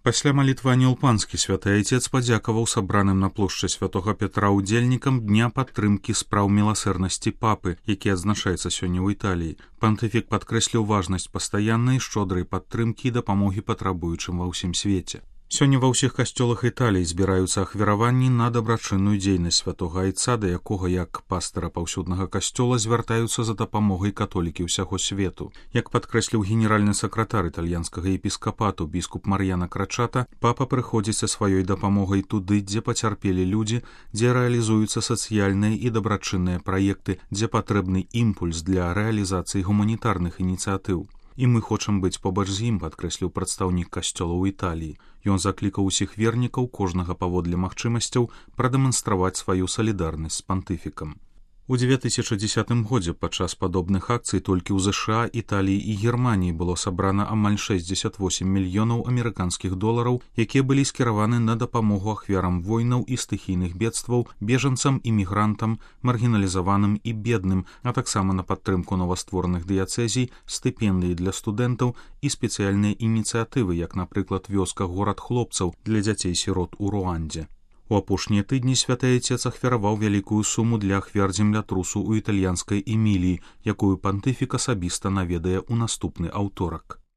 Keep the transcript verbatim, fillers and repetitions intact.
Пасля малітвання ў панскі святы айцец падзякаваў сабраным на плошчы святога Петра ўдзельнікам дня падтрымкі спраў міласэрнасці папы, які адзначаецца сёння ў Італіі. Пантыфік падкрэсліў важнасць пастаяннай шчодрай падтрымкі і дапамогі патрабуючым ва ўсім свеце. Сёння ва ўсіх касцёлах Італіі збіраюцца ахвяраванні на дабрачынную дзейнасць святога айца, да якога як пастара паўсюднага касцёла звяртаюцца за дапамогай католікі ўсяго свету. Як падкрэсліў генеральны сакратар італьянскага епіскапату біскуп Мар'яна Крачата, папа прыходзіць са сваёй дапамогай туды, дзе пацярпелі людзі, дзе рэалізуюцца сацыяльныя і дабрачынныя праекты, дзе патрэбны імпульс для рэалізацыі гуманітарных ініцыятыў. І мы хочам быць побач з ім, падкрэсліў прадстаўнік касцёла ў Італіі. Ён заклікаў усіх вернікаў, кожнага паводле магчымасцяў, прадэманстраваць сваю салідарнасць з пантыфікам. У дзве тысячы дзесятым годзе падчас падобных акцый толькі ў ЗША, Італіі і Германіі было сабрана амаль шэсцьдзесят восем мільёнаў амерыканскіх долараў, якія былі скіраваны на дапамогу ахвярам войнаў і стыхійных бедстваў, бежанцам, імігрантам, маргіналізаваным і бедным, а таксама на падтрымку новастворных дыяцэзій, стыпендыі для студэнтаў і спецыяльныя ініцыятывы, як, напрыклад, вёска горад хлопцаў для дзяцей-сірот у Руандзе. У апошнія тыдні святы айцец ахвяраваў вялікую суму для ахвяр землятрусу ў італьянскай Эміліі, якую пантыфік асабіста наведае ў наступны аўторак.